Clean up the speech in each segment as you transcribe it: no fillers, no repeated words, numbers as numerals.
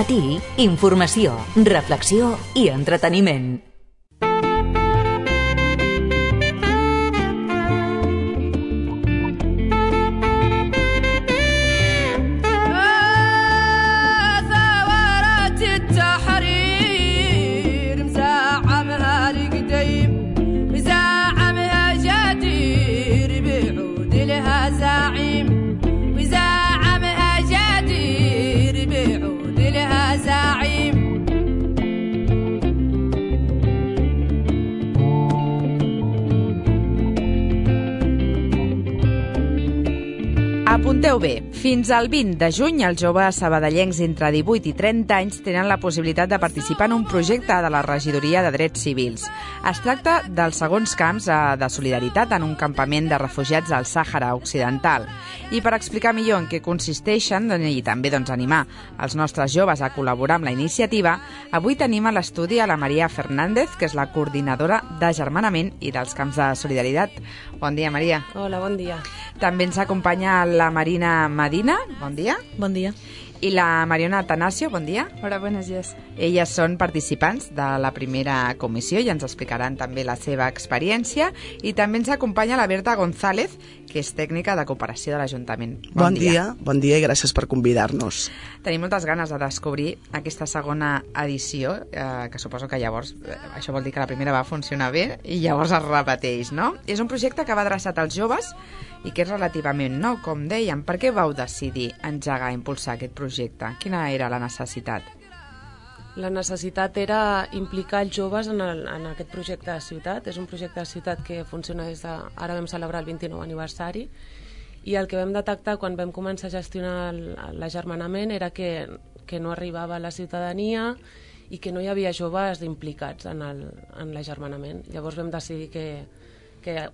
matí, informació, reflexió i entreteniment. Apunteu bé, fins al 20 de juny els joves sabadellencs entre 18 i 30 anys tenen la possibilitat de participar en un projecte de la Regidoria de Drets Civils. Es tracta dels segons camps de solidaritat en un campament de refugiats al Sàhara Occidental. I per explicar millor en què consisteixen i també animar els nostres joves a col·laborar amb la iniciativa, avui tenim a l'estudi a la Maria Fernández, que és la coordinadora d'Agermanament i dels camps de solidaritat. Bon dia, Maria. Hola, bon dia. També ens acompanya la Marina Medina, bon dia. Bon dia. I la Mariona Atanasio, bon dia. Hola, buenos días. Elles són participants de la primera comissió i ens explicaran també la seva experiència. I també ens acompanya la Berta González, que és tècnica de cooperació de l'Ajuntament. Bon dia i gràcies per convidar-nos. Tenim moltes ganes de descobrir aquesta segona edició, que suposo que llavors això vol dir que la primera va funcionar bé i llavors es repeteix, no? És un projecte que va adreçat als joves i que és relativament nou, com dèiem. Per què vau decidir engegar, impulsar aquest projecte? Quina era la necessitat? La necessitat era implicar els joves en aquest projecte de ciutat. És un projecte de ciutat que funciona des de... Ara vam celebrar el 29 aniversari i el que vam detectar quan vam començar a gestionar l'agermanament era que no arribava a la ciutadania i que no hi havia joves implicats en l'agermanament. Llavors vam decidir que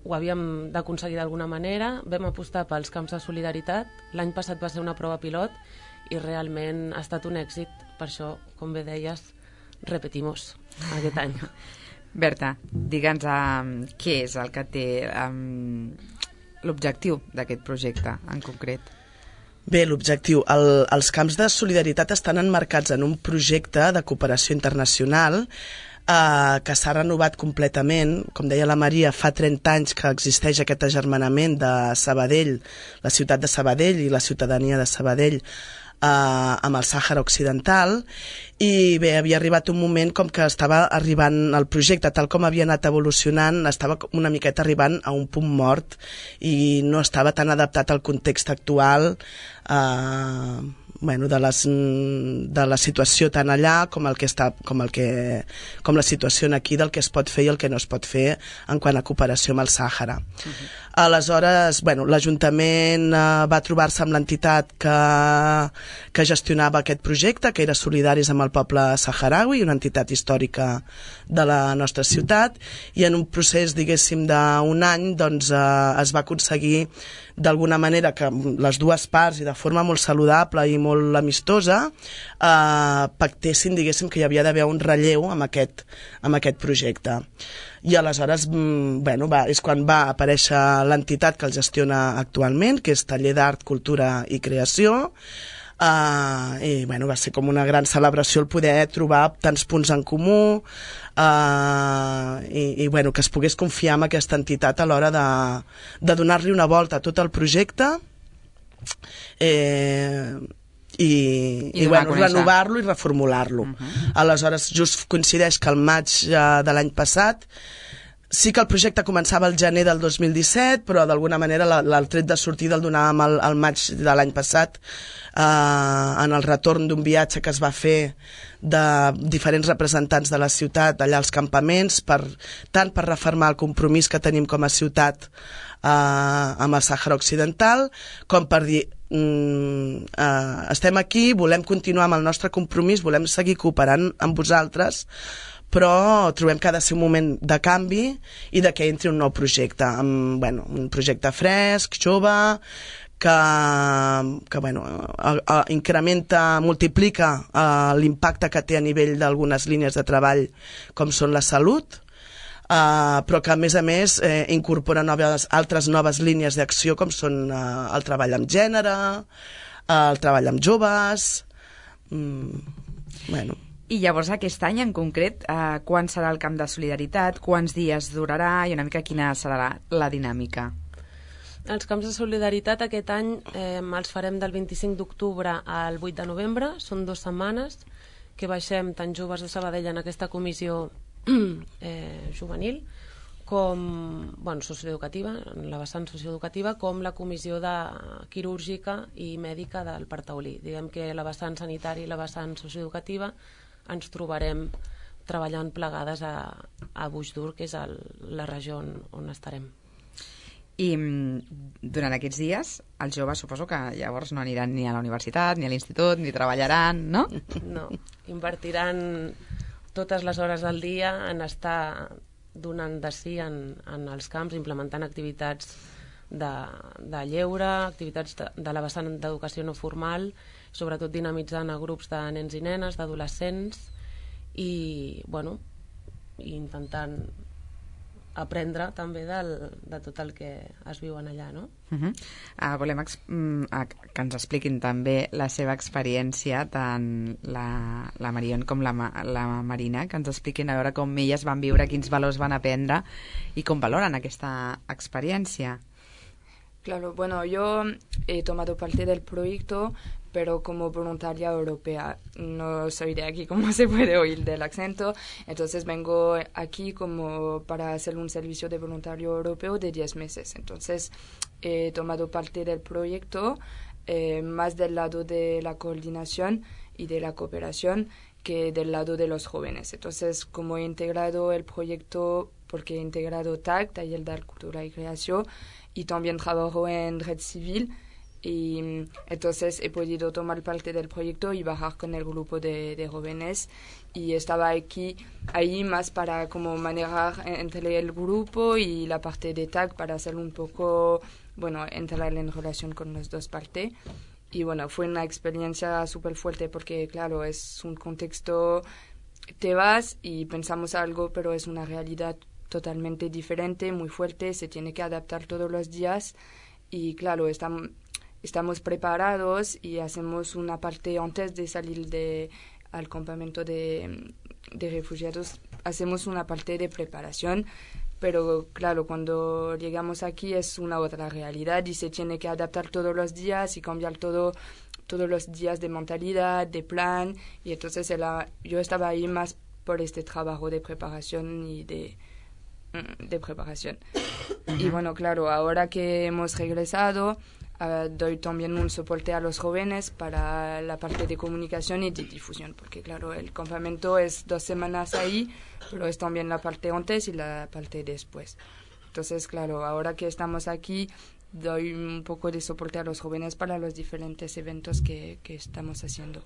ho havíem d'aconseguir d'alguna manera. Vam apostar pels camps de solidaritat. L'any passat va ser una prova pilot i realment ha estat un èxit. Per això, com bé deies, repetimos aquest any. Berta, digue'ns què és el que té l'objectiu d'aquest projecte en concret. Bé, l'objectiu. Els camps de solidaritat estan emmarcats en un projecte de cooperació internacional que s'ha renovat completament. Com deia la Maria, fa 30 anys que existeix aquest agermanament de Sabadell, la ciutat de Sabadell i la ciutadania de Sabadell amb el Sàhara Occidental, i bé, havia arribat un moment com que estava arribant el projecte, tal com havia anat evolucionant, estava una miqueta arribant a un punt mort i no estava tan adaptat al context actual de la situació tant allà com la situació aquí del que es pot fer i el que no es pot fer en quant a cooperació amb el Sàhara. Aleshores, l'Ajuntament va trobar-se amb l'entitat que gestionava aquest projecte, que era Solidaris amb el poble saharaui, una entitat històrica de la nostra ciutat, i en un procés, diguéssim, d'un any, doncs es va aconseguir d'alguna manera que les dues parts, i de forma molt saludable i molt amistosa, pactessin, diguéssim, que hi havia d'haver un relleu amb aquest projecte. I aleshores, és quan va aparèixer l'entitat que el gestiona actualment, que és Taller d'Art, Cultura i Creació, i va ser com una gran celebració el poder trobar tants punts en comú i que es pogués confiar en aquesta entitat a l'hora de donar-li una volta a tot el projecte i renovar-lo i reformular-lo. Aleshores, just coincideix que el maig de l'any passat, sí que el projecte començava al gener del 2017, però d'alguna manera el tret de sortida el donàvem al maig de l'any passat, en el retorn d'un viatge que es va fer de diferents representants de la ciutat allà als campaments, tant per refermar el compromís que tenim com a ciutat amb el Sàhara Occidental, com per dir estem aquí, volem continuar amb el nostre compromís, volem seguir cooperant amb vosaltres, però trobem que ha de ser un moment de canvi i de que entri un nou projecte, un projecte fresc, jove, que incrementa, multiplica l'impacte que té a nivell d'algunes línies de treball com són la salut, però que a més incorpora altres noves línies d'acció com són el treball amb gènere, el treball amb joves, Bueno. I llavors aquest any en concret, quan serà el Camp de Solidaritat, quants dies durarà i una mica quina serà la dinàmica? Els camps de solidaritat aquest any els farem del 25 d'octubre al 8 de novembre, són 2 setmanes que baixem tant joves de Sabadell en aquesta comissió juvenil com socioeducativa, en la vessant socioeducativa, com la comissió quirúrgica i mèdica del Partaulí. Diguem que la vessant sanitària i la vessant socioeducativa ens trobarem treballant plegades a Buixdur, que és la regió on estarem. I durant aquests dies els joves suposo que llavors no aniran ni a la universitat, ni a l'institut, ni treballaran, no? No, invertiran totes les hores del dia en estar donant de si en els camps, implementant activitats de lleure, activitats de la vessant d'educació no formal, sobretot dinamitzant a grups de nens i nenes, d'adolescents, i intentant aprendre també de tot el que es viuen allà, no? Volem que ens expliquin també la seva experiència, tant la Marion com la Marina, que ens expliquin a veure com elles van viure, quins valors van aprendre i com valoren aquesta experiència. Claro, bueno, yo he tomado parte del proyecto, pero como voluntaria europea. No soy de aquí, como se puede oír del acento. Entonces vengo aquí como para hacer un servicio de voluntario europeo de 10 meses. Entonces he tomado parte del proyecto más del lado de la coordinación y de la cooperación que del lado de los jóvenes. Entonces, como he integrado el proyecto, porque he integrado TAC, Taller de Cultura y Creación, y también trabajo en Red Civil, y entonces he podido tomar parte del proyecto y bajar con el grupo de jóvenes, y estaba ahí más para como manejar entre el grupo y la parte de TAC para hacer un poco, entrar en relación con las dos partes. Y fue una experiencia súper fuerte porque, claro, es un contexto, te vas y pensamos algo, pero es una realidad totalmente diferente, muy fuerte, se tiene que adaptar todos los días y, claro, estamos preparados y hacemos una parte antes de salir al campamento de refugiados, hacemos una parte de preparación. Pero claro, cuando llegamos aquí es una otra realidad y se tiene que adaptar todos los días y cambiar todos los días de mentalidad, de plan. Y entonces yo estaba ahí más por este trabajo de preparación y de preparación. Y claro, ahora que hemos regresado, doy también un soporte a los jóvenes para la parte de comunicación y de difusión, porque claro, el campamento es 2 semanas ahí, pero es también la parte antes y la parte después. Entonces, claro, ahora que estamos aquí, doy un poco de soporte a los jóvenes para los diferentes eventos que estamos haciendo.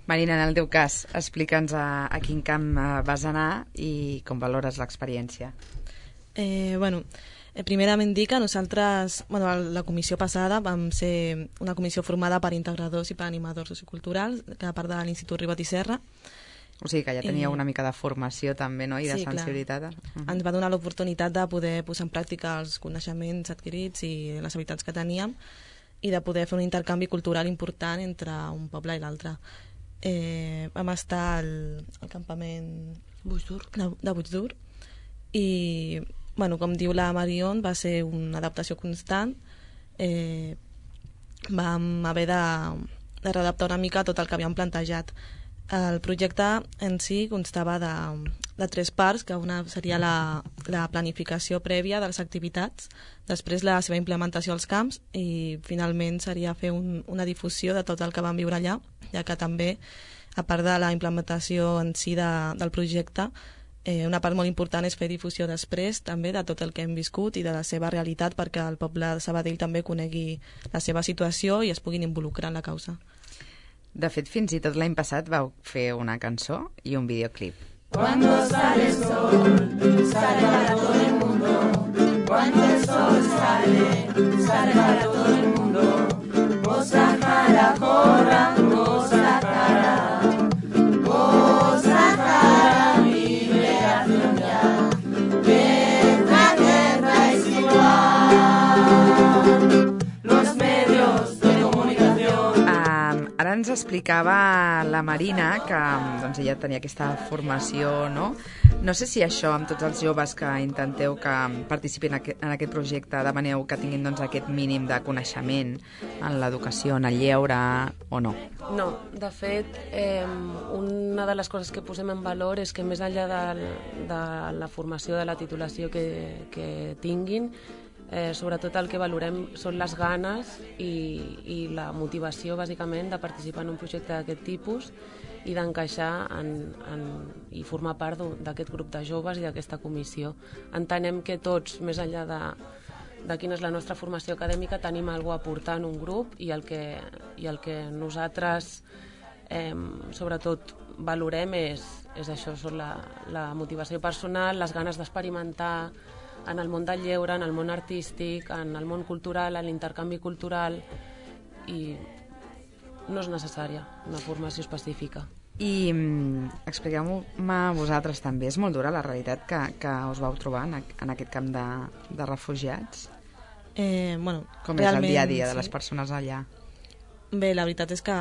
Marina, en el teu cas, explica'ns a quin camp vas anar i com valores l'experiència. Primerament dir que nosaltres, la comissió passada vam ser una comissió formada per integradors i per animadors socioculturals, que a part de l'Institut Ribot i Serra. O sigui que ja teníeu una mica de formació també, no?, i de sensibilitat. Ens va donar l'oportunitat de poder posar en pràctica els coneixements adquirits i les habilitats que teníem i de poder fer un intercanvi cultural important entre un poble i l'altre. Vam estar al campament de Buixdur i com diu la Marion, va ser una adaptació constant. Vam haver de readaptar una mica tot el que havíem plantejat. El projecte en si constava de 3 parts, que una seria la planificació prèvia de les activitats, després la seva implementació als camps i finalment seria fer una difusió de tot el que vam viure allà, ja que també, a part de la implementació en si del projecte, una part molt important és fer difusió després també de tot el que hem viscut i de la seva realitat perquè el poble de Sabadell també conegui la seva situació i es puguin involucrar en la causa. De fet, fins i tot l'any passat vau fer una cançó i un videoclip. Cuando sale el sol, sale para todo el mundo. Cuando el sol sale, sale para todo el mundo. Vos Sahara, corra, vos Sahara. Vos Sahara, mi liberación ya. Que la guerra es igual. Los medios de comunicación. Ara ens explicava la Marina que doncs, ella tenia aquesta formació, no? No sé si això, amb tots els joves que intenteu que participin en aquest projecte, demaneu que tinguin doncs, aquest mínim de coneixement en l'educació, en el lleure, o no? No, de fet, una de les coses que posem en valor és que més enllà de la formació, de la titulació que tinguin, sobretot el que valorem són les ganes i la motivació, bàsicament, de participar en un projecte d'aquest tipus i d'encaixar i formar part d'aquest grup de joves i d'aquesta comissió. Entenem que tots, més enllà de quina és la nostra formació acadèmica, tenim alguna cosa a aportar en un grup i el que nosaltres sobretot valorem és això, són la motivació personal, les ganes d'experimentar en el món del lleure, en el món artístic, en el món cultural, en l'intercanvi cultural, i no és necessària una formació específica. I expliqueu-me vosaltres també, és molt dura la realitat que us vau trobar en aquest camp de refugiats? Bueno, com és el dia a dia de les persones allà? Bé, la veritat és que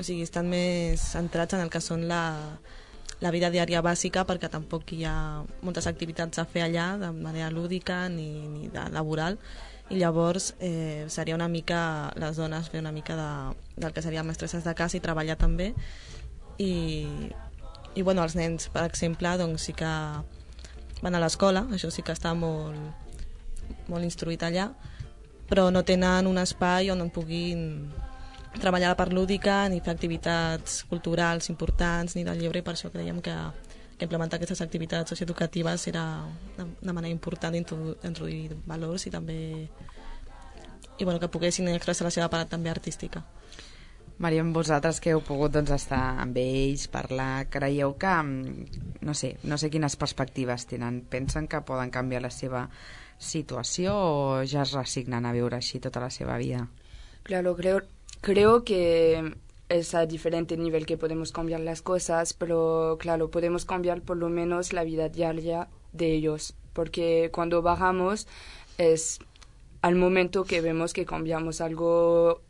estan més centrats en el que són la vida diària bàsica, perquè tampoc hi ha moltes activitats a fer allà de manera lúdica ni laboral, i llavors seria una mica, les dones fer una mica del que serien mestresses de casa i treballar també, i bueno, els nens, per exemple, doncs sí que van a l'escola, això sí que està molt instruït allà, però no tenen un espai on puguin treballar a la part lúdica, ni fer activitats culturals importants, ni del lleure, i per això creiem que implementar aquestes activitats socioeducatives era una manera important d'introduir valors i també que poguessin expressar la seva part també artística. Maria, amb vosaltres que heu pogut estar amb ells, parlar, creieu que, no sé quines perspectives tenen, pensen que poden canviar la seva situació o ja es resignen a viure així tota la seva vida? Claro, creo que es a diferente nivel que podemos cambiar las cosas, pero claro, podemos cambiar por lo menos la vida diaria de ellos, porque cuando bajamos es al momento que vemos que cambiamos algo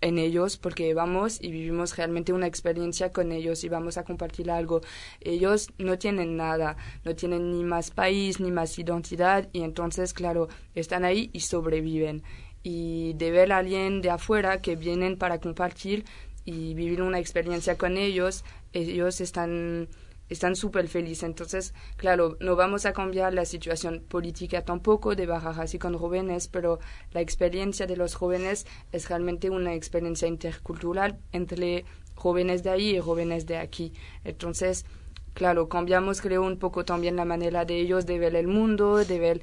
en ellos, porque vamos y vivimos realmente una experiencia con ellos y vamos a compartir algo. Ellos no tienen nada, no tienen ni más país, ni más identidad, y entonces, claro, están ahí y sobreviven. Y de ver a alguien de afuera que vienen para compartir y vivir una experiencia con ellos están súper felices. Entonces, claro, no vamos a cambiar la situación política tampoco de bajar así con jóvenes, pero la experiencia de los jóvenes es realmente una experiencia intercultural entre jóvenes de ahí y jóvenes de aquí. Entonces, claro, cambiamos, creo, un poco también la manera de ellos de ver el mundo, de ver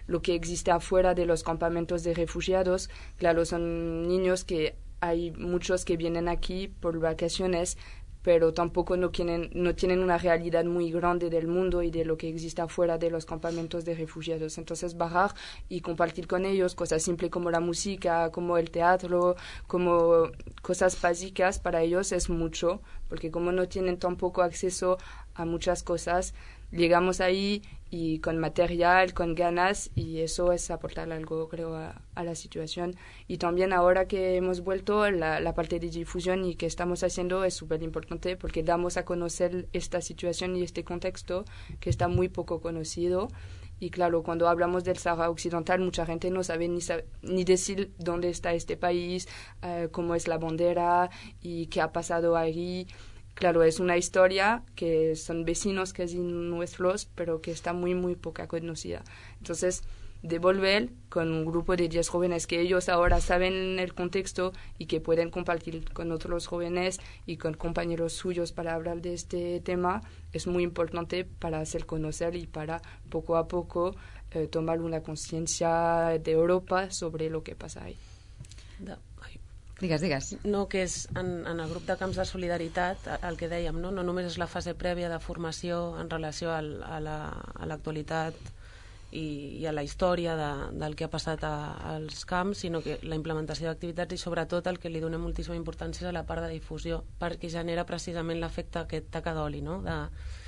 lo que existe afuera de los campamentos de refugiados. Claro, son niños que hay muchos que vienen aquí por vacaciones, pero tampoco no tienen una realidad muy grande del mundo y de lo que existe afuera de los campamentos de refugiados. Entonces, bajar y compartir con ellos cosas simples como la música, como el teatro, como cosas básicas, para ellos es mucho, porque como no tienen tampoco acceso a muchas cosas, llegamos ahí y con material, con ganas, y eso es aportar algo, creo, a la situación. Y también ahora que hemos vuelto, la parte de difusión y que estamos haciendo es súper importante, porque damos a conocer esta situación y este contexto que está muy poco conocido. Y claro, cuando hablamos del Sahara Occidental, mucha gente no sabe ni decir dónde está este país, cómo es la bandera y qué ha pasado ahí. Claro, es una historia que son vecinos casi nuestros, pero que está muy, muy poca conocida. Entonces, de volver con un grupo de 10 jóvenes que ellos ahora saben el contexto y que pueden compartir con otros jóvenes y con compañeros suyos para hablar de este tema, es muy importante para hacer conocer y para poco a poco tomar una conciencia de Europa sobre lo que pasa ahí. Digues. No, que és en el grup de camps de solidaritat, el que dèiem, no només és la fase prèvia de formació en relació a l'actualitat i a la història del que ha passat als camps, sinó que la implementació d'activitats i sobretot el que li donem moltíssima importància és a la part de difusió, perquè genera precisament l'efecte aquest taca d'oli, no?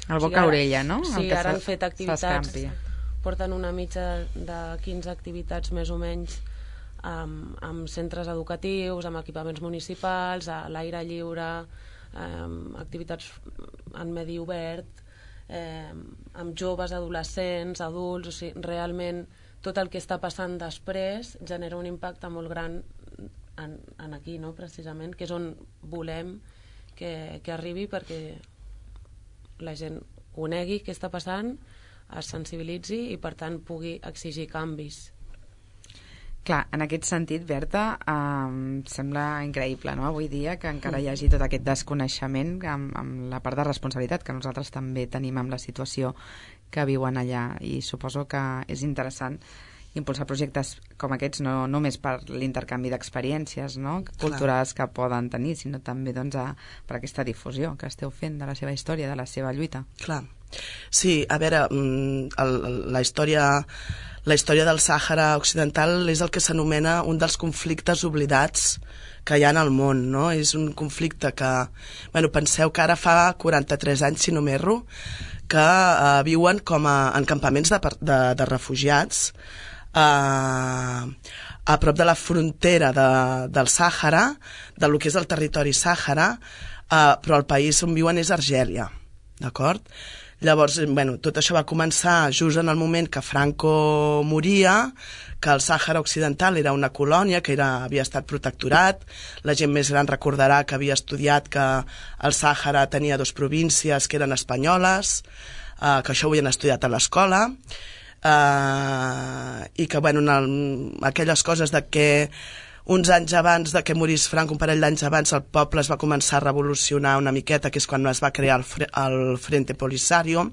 El boca-orella, no? Sí, ara han fet activitats, porten una mitja de 15 activitats més o menys amb centres educatius, amb equipaments municipals, a l'aire lliure, activitats en medi obert, amb joves, adolescents, adults, o sigui, realment tot el que està passant després genera un impacte molt gran en aquí, no? Precisament, que és on volem que arribi, perquè la gent conegui què està passant, es sensibilitzi i per tant pugui exigir canvis. Clar, en aquest sentit, Berta, sembla increïble, no?, avui dia que encara hi hagi tot aquest desconeixement amb la part de responsabilitat que nosaltres també tenim amb la situació que viuen allà, i suposo que és interessant impulsar projectes com aquests no només per l'intercanvi d'experiències, no?, culturals que poden tenir, sinó també doncs, per aquesta difusió que esteu fent de la seva història, de la seva lluita. Clar. Sí, a veure, la història del Sàhara Occidental és el que s'anomena un dels conflictes oblidats que hi ha en el món, no? És un conflicte que, bueno, penseu que ara fa 43 anys, si no m'erro, que viuen com en campaments de refugiats a prop de la frontera del Sàhara, del que és el territori Sàhara, però el país on viuen és Argèlia, d'acord? Llavors, bueno, tot això va començar just en el moment que Franco moria, que el Sàhara Occidental era una colònia, que havia estat protectorat. La gent més gran recordarà que havia estudiat que el Sàhara tenia 2 províncies que eren espanyoles, que això ho havien estudiat a l'escola, i que, bueno, aquelles coses de que uns anys abans de que morís Franco, un parell d'anys abans, el poble es va començar a revolucionar una miqueta, que és quan es va crear el Frente Polisario,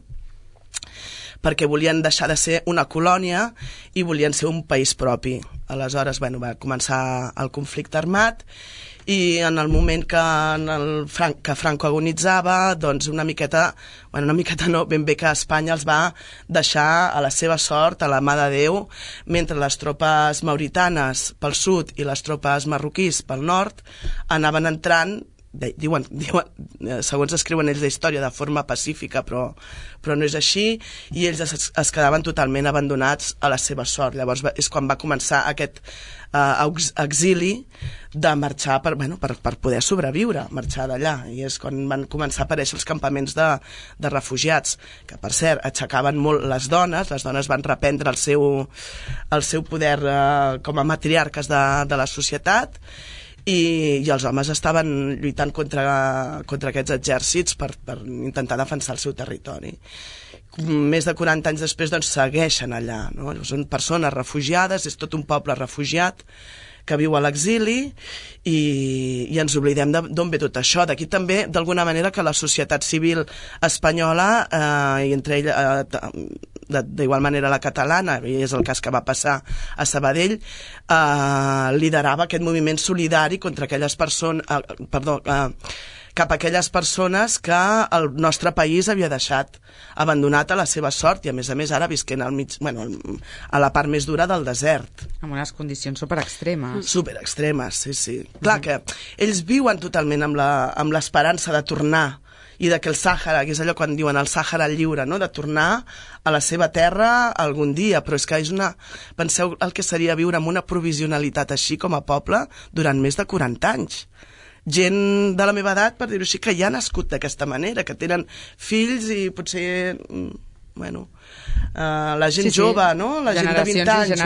perquè volien deixar de ser una colònia i volien ser un país propi. Aleshores, bueno, va començar el conflicte armat, i en el moment que Franco agonitzava, doncs una miqueta no, ben bé que Espanya els va deixar a la seva sort, a la mà de Déu, mentre les tropes mauritanes pel sud i les tropes marroquís pel nord anaven entrant, diuen, segons escriuen ells la història, de forma pacífica, però no és així, i ells es quedaven totalment abandonats a la seva sort. Llavors és quan va començar aquest exili de marxar per poder sobreviure, marxar d'allà, i és quan van començar a aparèixer els campaments de refugiats, que per cert aixecaven molt les dones van reprendre el seu poder com a matriarques de la societat, i els homes estaven lluitant contra aquests exèrcits per intentar defensar el seu territori. Més de 40 anys després, doncs, segueixen allà, no? Són persones refugiades, és tot un poble refugiat que viu a l'exili, i ens oblidem d'on ve tot això. D'aquí també, d'alguna manera, que la societat civil espanyola, i entre ella d'igual manera la catalana, i és el cas que va passar a Sabadell, liderava aquest moviment solidari contra aquelles persones, cap a aquelles persones que el nostre país havia deixat abandonat a la seva sort, i a més ara visquent al mig, a la part més dura del desert. Amb unes condicions superextremes. Superextremes, sí. Clar que ells viuen totalment amb l'esperança de tornar, i de que el Sàhara, que és allò quan diuen el Sàhara lliure, no?, de tornar a la seva terra algun dia, però és que penseu el que seria viure amb una provisionalitat així com a poble durant més de 40 anys. Gent de la meva edat, per dir-ho així, que ja ha nascut d'aquesta manera, que tenen fills i potser, la gent jove, no?, la gent de 20 anys,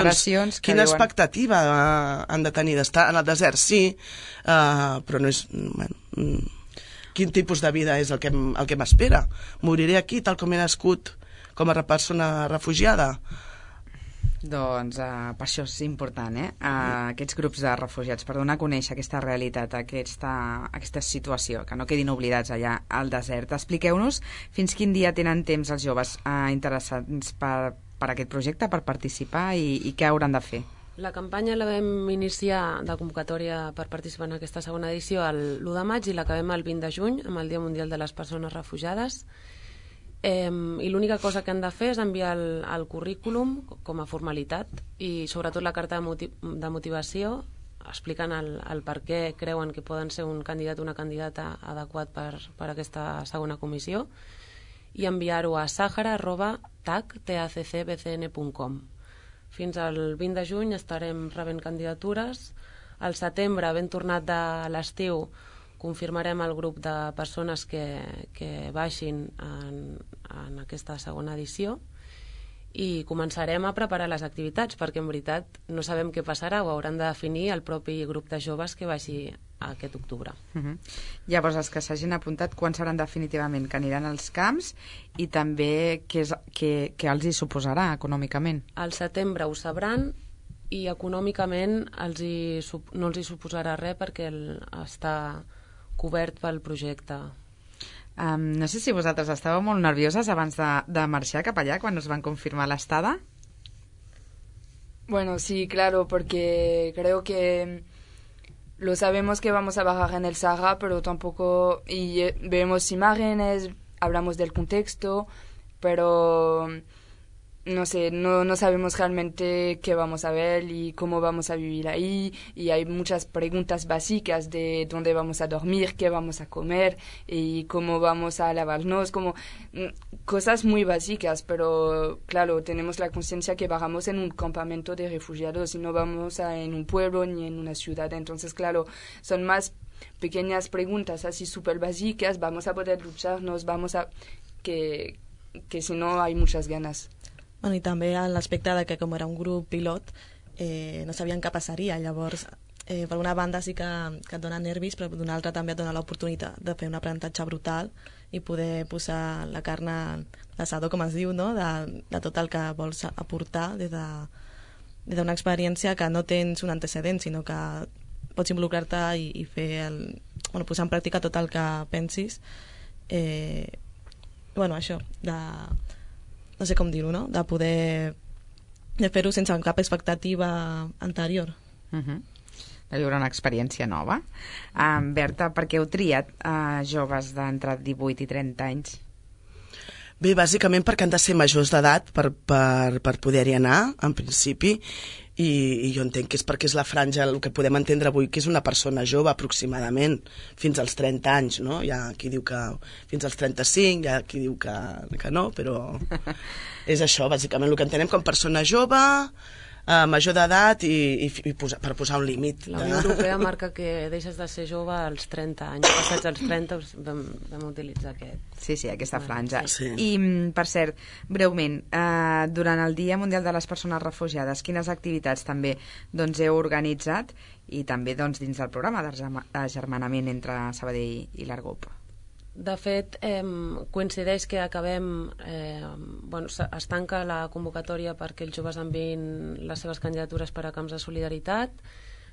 quina expectativa han de tenir d'estar en el desert? Sí, però no és... Quin tipus de vida és el que m'espera? Moriré aquí tal com he nascut com a persona refugiada? Doncs per això és important, aquests grups de refugiats, per donar a conèixer aquesta realitat, aquesta situació, que no quedin oblidats allà al desert. Expliqueu-nos fins quin dia tenen temps els joves interessats per aquest projecte, per participar, i què hauran de fer. La campanya la vam iniciar de convocatòria per participar en aquesta segona edició l'1 de maig i l'acabem el 20 de juny, amb el Dia Mundial de les Persones Refugiades. I l'única cosa que han de fer és enviar el currículum com a formalitat, i sobretot la carta de motivació explicant el per què creuen que poden ser un candidat o una candidata adequat per aquesta segona comissió, i enviar-ho a sahara@taccbcn.com. Fins al 20 de juny estarem rebent candidatures. Al setembre, ben tornat de l'estiu, confirmarem el grup de persones que baixin en aquesta segona edició i començarem a preparar les activitats, perquè en veritat no sabem què passarà, ho hauran de definir el propi grup de joves que baixi aquest octubre. Llavors, els que s'hagin apuntat, quan sabran definitivament que aniran als camps i també què els hi suposarà econòmicament? Al setembre ho sabran i econòmicament no els hi suposarà res perquè està cobert pel projecte. No sé si vosaltres estàveu molt nervioses abans de marxar cap allà quan us van confirmar l'estada. Bueno, sí, claro, porque creo que lo sabemos que vamos a bajar en el Sahara, pero tampoco... Y vemos imágenes, hablamos del contexto, pero... No sé, no sabemos realmente qué vamos a ver y cómo vamos a vivir ahí, y hay muchas preguntas básicas de dónde vamos a dormir, qué vamos a comer y cómo vamos a lavarnos, como cosas muy básicas, pero claro, tenemos la conciencia que bajamos en un campamento de refugiados y no vamos en un pueblo ni en una ciudad, entonces claro, son más pequeñas preguntas así súper básicas, vamos a poder lucharnos, que si no hay muchas ganas. Bueno, i també l'aspecte de que com era un grup pilot no sabien què passaria, llavors per una banda sí que et dona nervis, però d'una altra també et dona l'oportunitat de fer un aprenentatge brutal i poder posar la carn a l'assador, com es diu, no? de tot el que vols aportar des d'una experiència que no tens un antecedent, sinó que pots involucrar-te i fer posar en pràctica tot el que pensis. Això, no sé com dir-ho, no? De poder fer-ho sense cap expectativa anterior. De viure una experiència nova. Berta, per què heu triat joves d'entre 18 i 30 anys? Bé, bàsicament perquè han de ser majors d'edat per poder-hi anar, en principi, i jo entenc que és perquè és la franja, el que podem entendre avui, que és una persona jove aproximadament, fins als 30 anys, no? Hi ha qui diu que fins als 35, hi ha qui diu que no, però és això, bàsicament, el que entenem com persona jove, major d'edat i per posar un límit. La Unió Europea marca que deixes de ser jove als 30 anys. Passats els 30 vam utilitzar aquest. Sí, aquesta franja. Sí. I, per cert, breument, durant el Dia Mundial de les Persones Refugiades, quines activitats també heu organitzat i també dins del programa d'agermanament entre Sabadell i l'Argup? De fet, coincideix que acabem... es tanca la convocatòria perquè els joves enviïn les seves candidatures per a camps de solidaritat.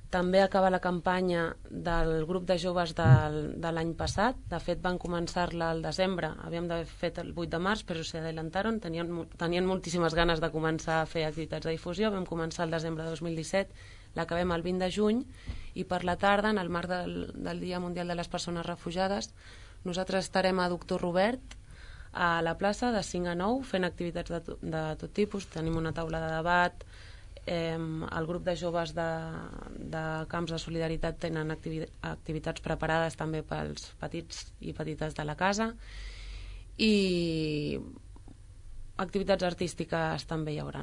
També acaba la campanya del grup de joves de l'any passat. De fet, van començar-la al desembre. Havíem d'haver fet el 8 de març, però s'adelantaron. Tenien moltíssimes ganes de començar a fer activitats de difusió. Vam començar el desembre de 2017, l'acabem el 20 de juny, i per la tarda, en el marc del Dia Mundial de les Persones Refugiades, nosaltres estarem a Doctor Robert, a la plaça, de 5 a 9, fent activitats de tot tipus. Tenim una taula de debat, el grup de joves de camps de solidaritat tenen activitats preparades també pels petits i petites de la casa, i activitats artístiques també hi haurà.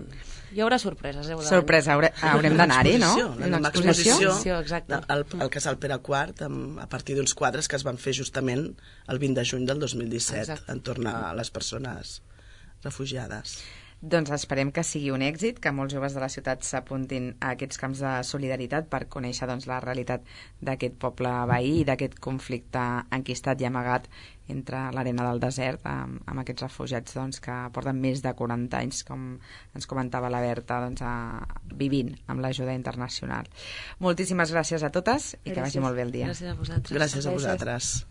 Hi haurà sorpreses. Sorpresa, haurem d'anar-hi, no? Una exposició, exacte. Al Casal Pere IV, a partir d'uns quadres que es van fer justament el 20 de juny del 2017, exacte, entorn a les persones refugiades. Doncs esperem que sigui un èxit, que molts joves de la ciutat s'apuntin a aquests camps de solidaritat per conèixer la realitat d'aquest poble veí i d'aquest conflicte enquistat i amagat entre l'arena del desert amb aquests refugiats que porten més de 40 anys, com ens comentava la Berta, vivint amb l'ajuda internacional. Moltíssimes gràcies a totes i que vagi molt bé el dia. Gràcies a vosaltres. Gràcies a vosaltres.